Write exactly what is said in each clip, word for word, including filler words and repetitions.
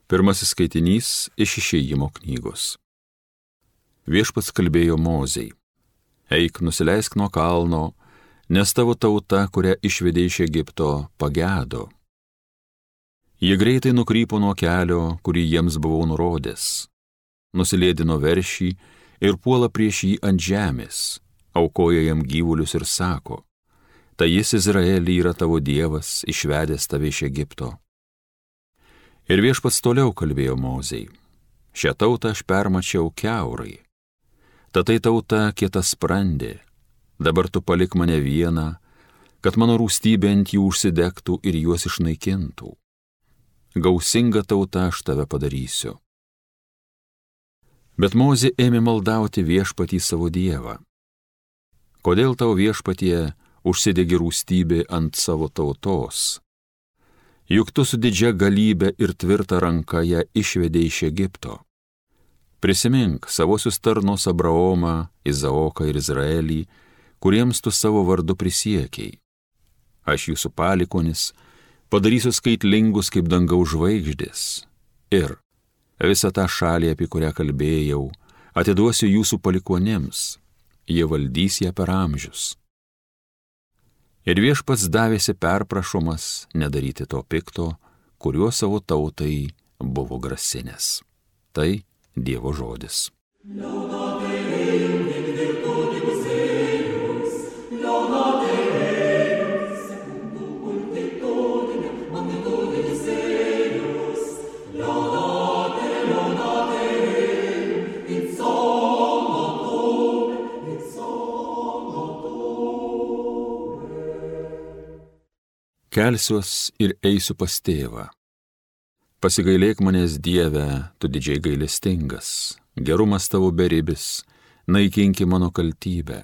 Pirmasis skaitinys iš Išėjimo knygos. Viešpats kalbėjo Mozei: Eik, nusileisk nuo kalno, nes tavo tauta, kurią išvedė iš Egipto, pagedo. Jie greitai nukrypo nuo kelio, kurį jiems buvau nurodęs. Nusilėdino veršį ir puola prieš jį ant žemės, aukoja jam gyvulius ir sako: Tai jis, Izraelį, yra tavo Dievas, išvedęs tave iš Egipto. Ir Viešpats toliau kalbėjo Mozei: Šią tautą aš permačiau kiaurai. Ta tai tauta kietasprandė. Dabar tu palik mane vieną, kad mano rūstybė ant jų užsidegtų ir juos išnaikintų. Gausinga tauta aš tave padarysiu. Bet Mozė ėmė maldauti Viešpatį savo Dievą. Kodėl tau, Viešpatie, užsidegi rūstybė ant savo tautos? Juk tu su didžia galybė ir tvirta ranka ją išvedė iš Egipto. Prisimink savosius tarnus Abraomą, Izaoką ir Izraelį, kuriems tu savo vardu prisiekiai. Aš jūsų palikonis padarysiu skaitlingus kaip dangaus žvaigždės ir visą tą šalį, apie kurią kalbėjau, atiduosiu jūsų palikonėms, jie valdys ją per amžius. Ir Viešpats davėsi perprašomas nedaryti to pikto, kuriuo savo tautai buvo grasinęs. Tai Dievo žodis. Kelsiuos ir eisiu pas tėvą. Pasigailėk manęs, Dieve, tu didžiai gailestingas, gerumas tavo beribis, naikinki mano kaltybę.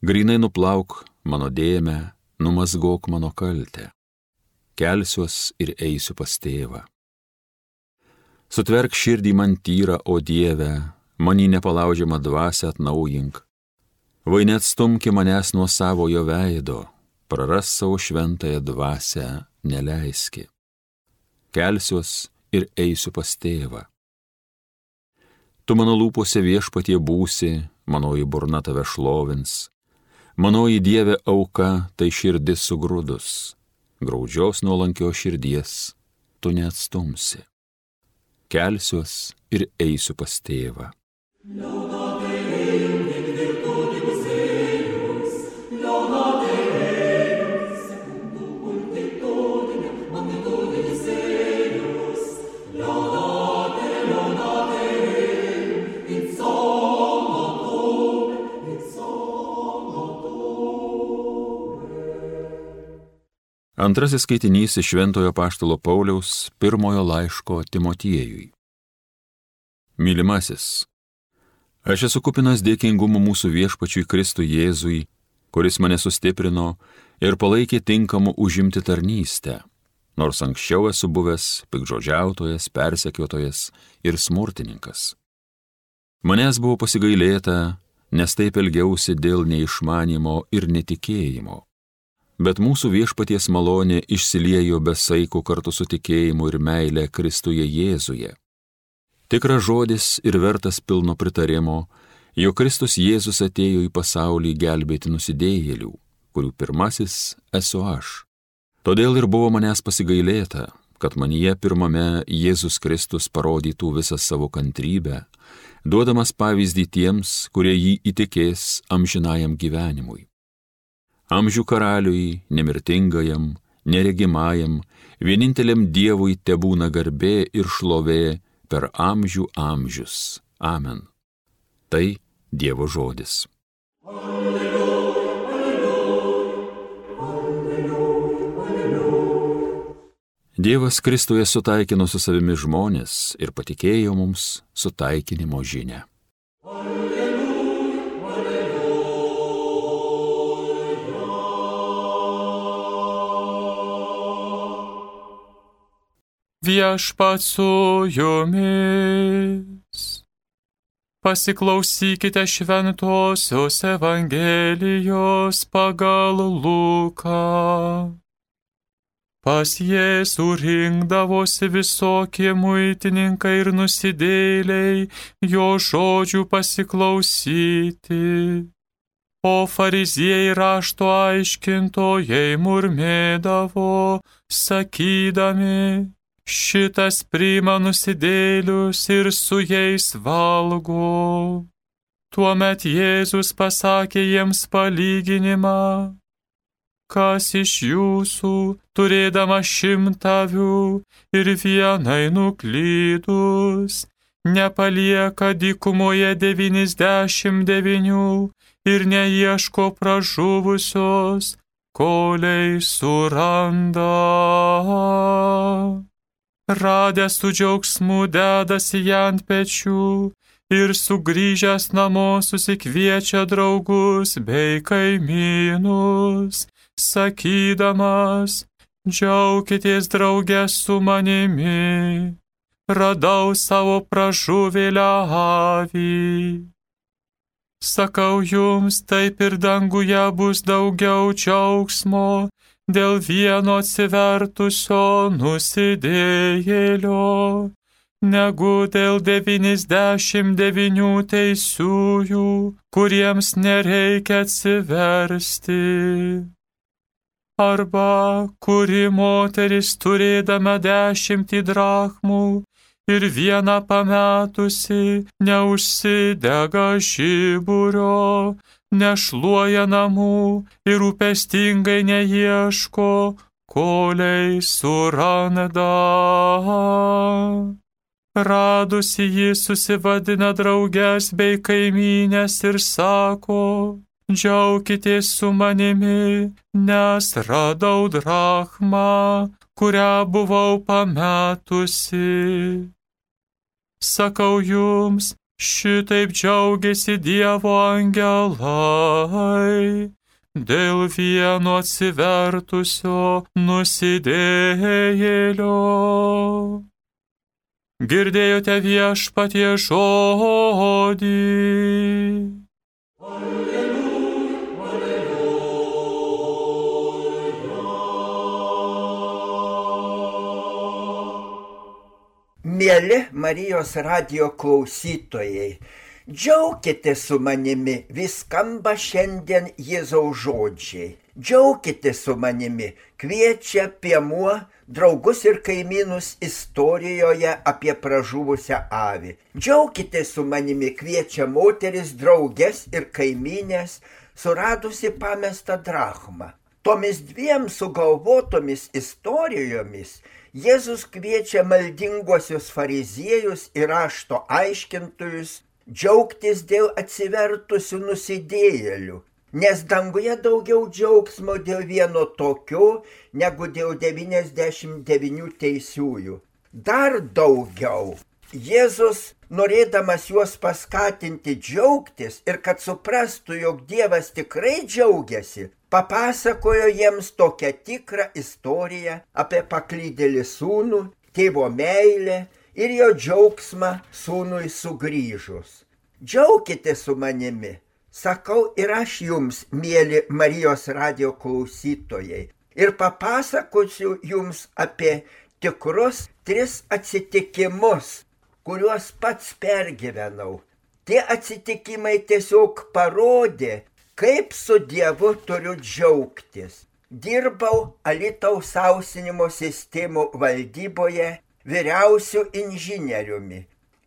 Grynai nuplauk mano dėmę, numazgok mano kaltę. Kelsiuos ir eisiu pas tėvą. Sutverk širdį man tyrą, o Dieve, manį nepalaužiamą dvasią atnaujink. Vai neatstumki manęs nuo savojo veido, praras savo šventąją dvasią neleiski. Kelsiuos ir eisiu pas tėvą. Tu mano lūpose, Viešpatie, būsi, manoji burna tave šlovins. Manoji Dieve auka, tai širdis sugrūdus. Graudžios nuolankios širdies tu neatstumsi. Kelsiuos ir eisiu pas tėvą. Antrasis skaitinys iš Šventojo apaštalo Pauliaus pirmojo laiško Timotiejui. Mylimasis, aš esu kupinas dėkingumo mūsų Viešpačiui Kristui Jėzui, kuris mane sustiprino ir palaikė tinkamu užimti tarnystę, nors anksčiau esu buvęs piktžodžiautojas, persekiotojas ir smurtininkas. Manęs buvo pasigailėta, nes taip elgiausi dėl neišmanimo ir netikėjimo. Bet mūsų Viešpaties malonė išsiliejo be saiko kartu su tikėjimu ir meile Kristuje Jėzuje. Tikras žodis ir vertas pilno pritarimo, jog Kristus Jėzus atėjo į pasaulį gelbėti nusidėjėlių, kurių pirmasis esu aš. Todėl ir buvo manęs pasigailėta, kad manyje pirmame Jėzus Kristus parodytų visą savo kantrybę, duodamas pavyzdį tiems, kurie jį įtikės amžinajam gyvenimui. Amžių karaliui, nemirtingajam, neregimajam, vieninteliam Dievui tebūna garbė ir šlovė per amžių amžius. Amen. Tai Dievo žodis. Alleluja, alleluja, alleluja, alleluja. Dievas Kristuje sutaikino su savimi žmonės ir patikėjo mums sutaikinimo žinią. Viešpats su jumis. Pasiklausykite šventosios Evangelijos pagal Luką. Pas Jėzų rinkdavosi visokie muitininkai ir nusidėjėliai jo žodžių pasiklausyti. O fariziejai rašto aiškintojai murmėdavo, sakydami, šitas priima nusidėjėlius ir su jais valgo. Tuomet Jėzus pasakė jiems palyginimą, kas iš jūsų, turėdama šimtą avių ir vienai nuklydus, nepalieka dykumoje devyniasdešimt devynių ir neieško pražuvusios, kolei suranda. Radęs su džiaugsmu dedasi ją ant pečių ir sugrįžęs namo susikviečia draugus bei kaimynus, sakydamas, džiaukitės drauge su manimi, radau savo pražuvėlę avį. Sakau jums, taip ir danguje bus daugiau džiaugsmo dėl vieno atsivertusio nusidėjėlio, negu dėl devyniasdešimt devynių teisiųjų, kuriems nereikia atsiversti. Arba kuri moteris turėdama dešimtį drachmų ir vieną pametusi neužsidega žiburio, nešluoja namų ir rūpestingai neieško, kolei suranda. Radusi jį susivadina drauges bei kaimynės ir sako, džiaukitės su manimi, nes radau drachmą, kurią buvau pametusi. Sakau jums, šitaip džiaugiasi Dievo angelai dėl vieno atsivertusio nusidėjėlio. Girdėjote viešpatie žodį. Mieli Marijos radijo klausytojai, džiaukitės su manimi, vis skamba šiandien Jėzaus žodžiai. Džiaukitės su manimi, kviečia piemuo draugus ir kaimynus istorijoje apie pražuvusią avį. Džiaukitės su manimi, kviečia moteris drauges ir kaimynės, suradusi pamestą drachmą. Tomis dviem sugalvotomis istorijomis Jėzus kviečia maldinguosius fariziejus ir rašto aiškintojus džiaugtis dėl atsivertusių nusidėjėlių, nes danguje daugiau džiaugsmo dėl vieno tokio, negu dėl devyniasdešimt devynių teisiųjų. Dar daugiau. Jėzus, norėdamas juos paskatinti džiaugtis ir kad suprastų, jog Dievas tikrai džiaugiasi, papasakojo jiems tokią tikrą istoriją apie paklydėlį sūnų, tėvo meilę ir jo džiaugsmą sūnui sugrįžus. Džiaukitės su manimi, sakau ir aš jums, mieli Marijos radijo klausytojai, ir papasakosiu jums apie tikrus tris atsitikimus, kuriuos pats pergyvenau. Tie atsitikimai tiesiog parodė, kaip su Dievu turiu džiaugtis. Dirbau Alytaus sausinimo sistemų valdyboje vyriausiu inžinieriumi.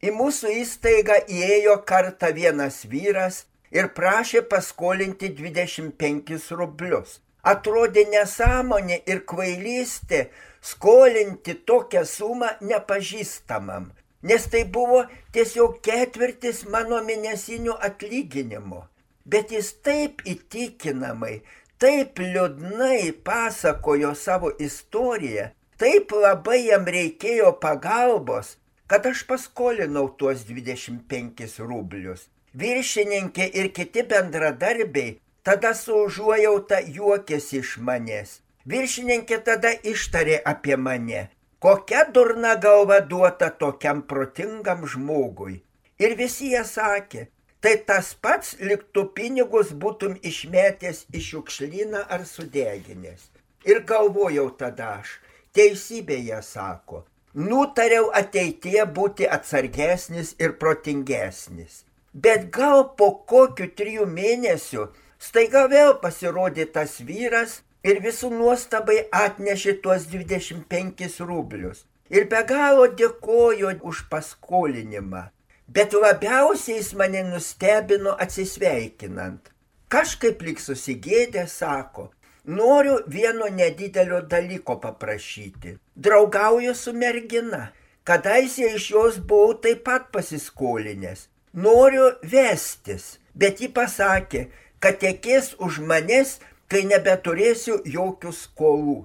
Į mūsų įstaigą įėjo kartą vienas vyras ir prašė paskolinti dvidešimt penkis rublius. Atrodė nesąmonė ir kvailystė skolinti tokią sumą nepažįstamam, nes tai buvo tiesiog ketvirtis mano mėnesinių atlyginimo. Bet jis taip įtikinamai, taip liūdnai pasakojo savo istoriją, taip labai jam reikėjo pagalbos, kad aš paskolinau tuos dvidešimt penkis rublius. Viršininkė ir kiti bendradarbiai tada su užuojauta juokėsi iš manęs. Viršininkė tada ištarė apie mane, kokia durna galva duota tokiam protingam žmogui. Ir visi jie sakė, tai tas pats, lyg tu pinigus būtum išmetęs į šiukšlyną ar sudeginęs. Ir galvojau tada aš, Teisybė jie sako. Nutariau ateityje būti atsargesnis ir protingesnis. Bet gal po kokių trijų mėnesių staiga vėl pasirodė tas vyras ir visų nuostabai atnešė tuos dvidešimt penkis rublius. Ir be galo dėkojo už paskolinimą. Bet labiausiai jis mane nustebino atsisveikinant. Kažkaip lyg susigėdė sako, noriu vieno nedidelio dalyko paprašyti. Draugauju su mergina. Kadaise iš jos buvau taip pat pasiskolinęs. Noriu vestis, bet ji pasakė, kad tekės už manęs, kai nebeturėsiu jokių skolų.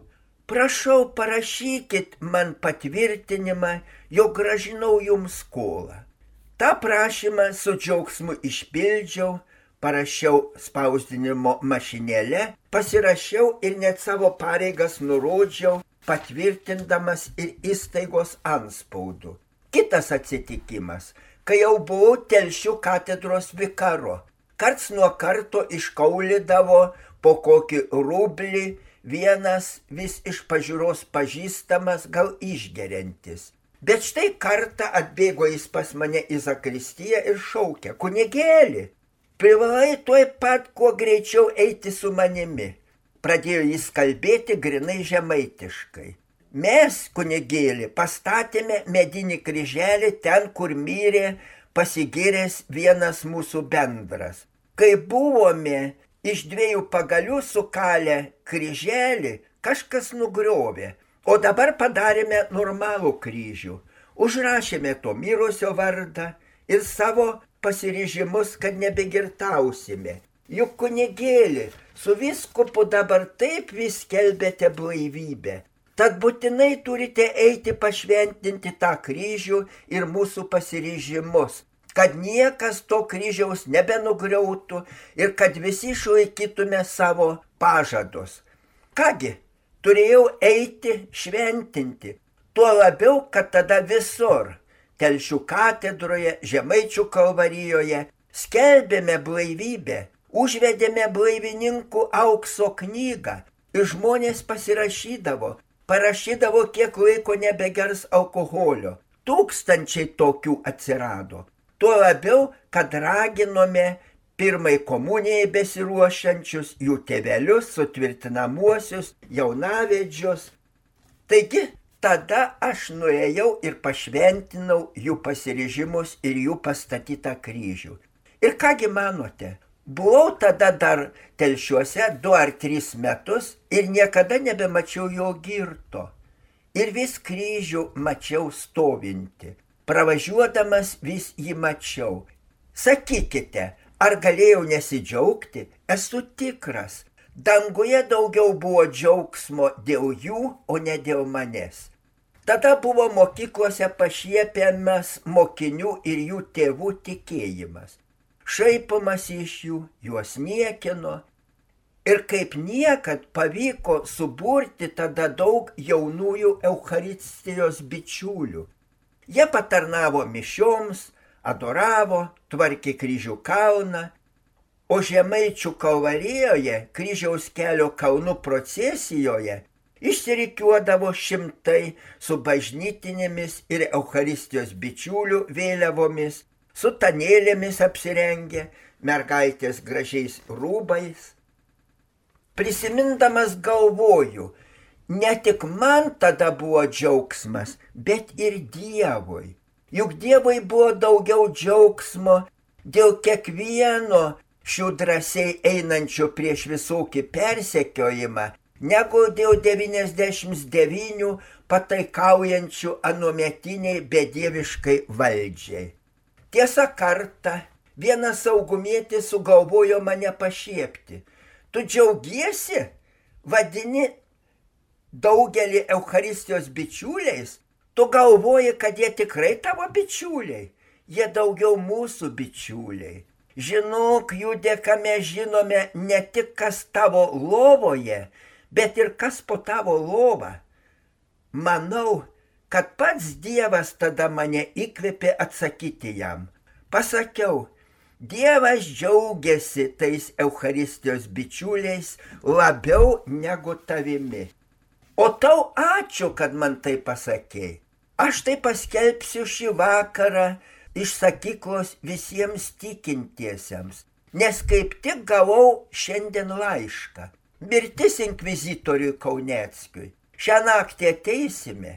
Prašau, parašykit man patvirtinimą, jog gražinau jums skolą. Ta prašymą su džiaugsmu išpildžiau, parašiau spausdinimo mašinėle, pasirašiau ir net savo pareigas nurodžiau, patvirtindamas ir įstaigos antspaudu. Kitas atsitikimas, kai jau buvau Telšių katedros vikaro. Karts nuo karto iškaulydavo po kokį rublį vienas vis iš pažiūros pažįstamas, gal išgeriantis. Bet štai kartą atbėgo jis pas mane į zakristiją ir šaukė, kunigėli, privalai tuoj pat kuo greičiau eiti su manimi. Pradėjo jis kalbėti grinai žemaitiškai. Mes, kunigėli, pastatėme medinį kryželį ten, kur mirė pasigiręs vienas mūsų bendras. Kai buvome iš dviejų pagalių sukalę kryželį, kažkas nugriovė, o dabar padarėme normalų kryžių. Užrašėme to mirusio vardą ir savo pasiryžimus, kad nebegirtausime. Juk kunigėli, su viskupu dabar taip vis skelbėte blaivybę. Tad būtinai turite eiti pašventinti tą kryžių ir mūsų pasiryžimus, kad niekas to kryžiaus nebenugriautų ir kad visi išlaikytume savo pažadus. Kągi, turėjau eiti šventinti, tuo labiau, kad tada visur, Telšių katedroje, Žemaičių kalvarijoje, skelbėme blaivybę, užvedėme blaivininkų aukso knygą ir žmonės pasirašydavo, parašydavo, kiek laiko nebegers alkoholio. Tūkstančiai tokių atsirado. Tuo labiau, kad raginome pirmai komunijai besiruošiančius, jų tėvelius, sutvirtinamuosius, jaunavedžius. Taigi, tada aš nuėjau ir pašventinau jų pasiryžimus ir jų pastatytą kryžių. Ir kągi manote, buvau tada dar Telšiuose du ar tris metus ir niekada nebemačiau jo girto. Ir vis kryžių mačiau stovinti. Pravažiuodamas vis jį mačiau. Sakykite, ar galėjau nesidžiaugti? Esu tikras. Danguje daugiau buvo džiaugsmo dėl jų, o ne dėl manęs. Tada buvo mokyklose pašiepiamas mokinių ir jų tėvų tikėjimas. Šaipomas iš jų, juos niekino. Ir kaip niekad pavyko suburti tada daug jaunųjų Eucharistijos bičiulių. Jie patarnavo mišioms, adoravo, tvarkė kryžių kalną, o Žemaičių kalvarijoje, kryžiaus kelio kalnų procesijoje, išsirikiuodavo šimtai su bažnytinėmis ir Eucharistijos bičiulių vėliavomis, su tanėlėmis apsirengę, mergaitės gražiais rūbais. Prisimindamas galvoju, ne tik man tada buvo džiaugsmas, bet ir Dievui. Juk Dievui buvo daugiau džiaugsmo dėl kiekvieno šių drąsiai einančių prieš visokį persekiojimą, negu dėl devyniasdešimt devynių pataikaujančių anuometiniai bedieviškai valdžiai. Tiesa kartą vienas saugumietis sugalvojo mane pašiepti. Tu džiaugiesi, vadini daugelį Eucharistijos bičiuliais, tu galvoji, kad jie tikrai tavo bičiuliai, jie daugiau mūsų bičiuliai. Žinok, jų dėka mes žinome ne tik kas tavo lovoje, bet ir kas po tavo lovą. Manau, kad pats Dievas tada mane įkvėpė atsakyti jam. Pasakiau, Dievas džiaugiasi tais Eucharistijos bičiuliais labiau negu tavimi. O tau ačiū, kad man tai pasakei. Aš tai paskelbsiu šį vakarą iš sakyklos visiems tikintiesiems, nes kaip tik gavau šiandien laišką. Mirtis inkvizitoriui Kauneckiui. Šią naktį ateisime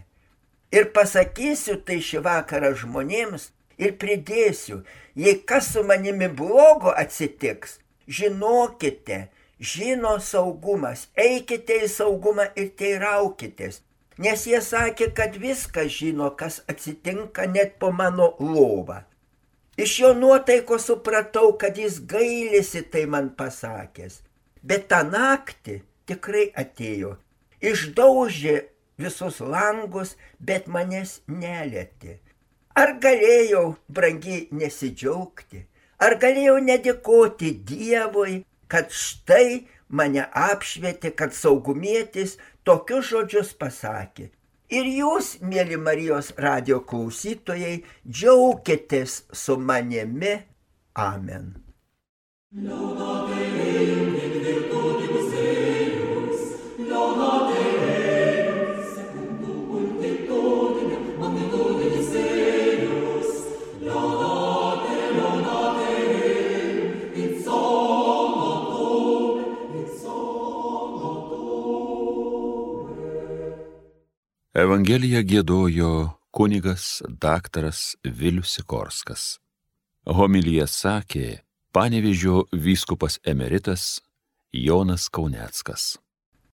ir pasakysiu tai šį vakarą žmonėms ir pridėsiu, jei kas su manimi blogo atsitiks, žinokite, žino saugumas, eikite į saugumą ir teiraukitės, nes jie sakė, kad viską žino, kas atsitinka net po mano lovą. Iš jo nuotaiko supratau, kad jis gailisi tai man pasakęs, bet tą naktį tikrai atėjo, išdaužė visus langus, bet manęs nelietė. Ar galėjau, brangiai, nesidžiaugti? Ar galėjau nedėkoti Dievui, kad štai mane apšvietė, kad saugumietis tokius žodžius pasakė? Ir jūs, mėly Marijos radijo klausytojai, džiaukitės su manimi. Amen. Evangeliją giedojo kunigas daktaras Vilius Sikorskas. Homiliją sakė Panevėžio vyskupas emeritas Jonas Kauneckas.